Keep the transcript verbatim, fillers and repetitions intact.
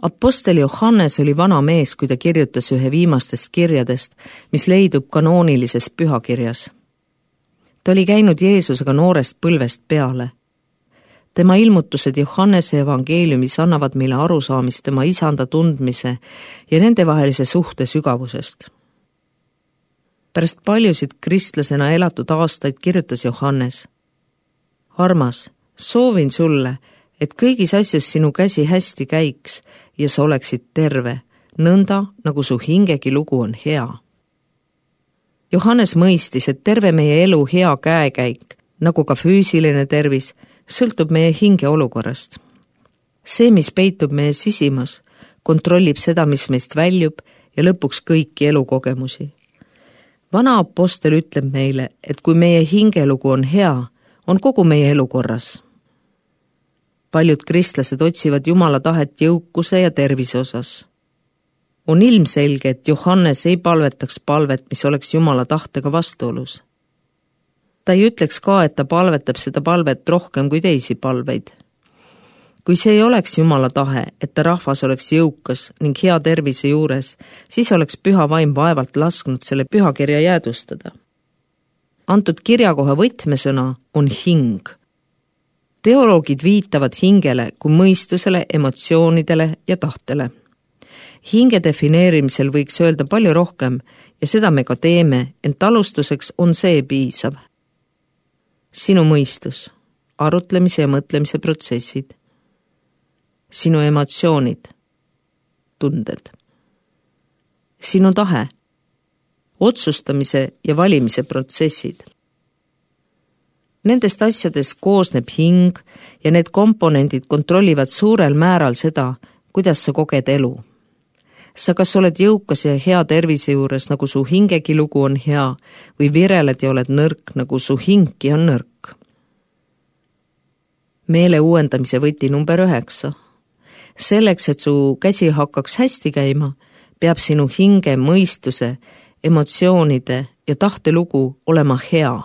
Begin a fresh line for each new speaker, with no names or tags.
Apostel Johannes oli vana mees, kui ta kirjutas ühe viimastest kirjadest, mis leidub kanoonilises pühakirjas. Ta oli käinud Jeesusega noorest põlvest peale. Tema ilmutused Johannese evangeeliumis annavad meile arusaamist tema isanda tundmise ja nendevahelise suhte sügavusest. Pärast paljusid kristlasena elatud aastaid kirjutas Johannes: Armas, soovin sulle, et kõigis asjus sinu käsi hästi käiks ja sa oleksid terve, nõnda nagu su hingegi lugu on hea. Johannes mõistis, et terve meie elu hea käekäik, nagu ka füüsiline tervis, sõltub meie hinge olukorrast. See, mis peitub meie sisimas, kontrollib seda, mis meist väljub ja lõpuks kõiki elukogemusi. Vana apostel ütleb meile, et kui meie hingelugu on hea, on kogu meie elu korras. Paljud kristlased otsivad Jumala tahet jõukuse ja tervise osas. On ilmselge, et Johannes ei palvetaks palvet, mis oleks Jumala tahtega vastuolus. Ta ei ütleks ka, et ta palvetab seda palvet rohkem kui teisi palveid. Kui see ei oleks Jumala tahe, et ta rahvas oleks jõukas ning hea tervise juures, siis oleks püha vaim vaevalt lasknud selle pühakirja jäädustada. Antud kirjakoha võtmesõna on hing. Teoloogid viitavad hingele kui mõistusele, emotsioonidele ja tahtele. Hinge defineerimisel võiks öelda palju rohkem ja seda me ka teeme, ent alustuseks on see piisav. Sinu mõistus, arutlemise ja mõtlemise protsessid. Sinu emotsioonid, tunded. Sinu tahe, otsustamise ja valimise protsessid. Nendest asjadest koosneb hing ja need komponendid kontrollivad suurel määral seda, kuidas sa koged elu. Sa kas oled jõukas ja hea tervise juures, nagu su hingegi lugu on hea, või vireled ja oled nõrk, nagu su hingki on nõrk. Meele uuendamise võti number üheksa. Selleks, et su käsi hakkaks hästi käima, peab sinu hinge, mõistuse, emotsioonide ja tahte lugu olema hea.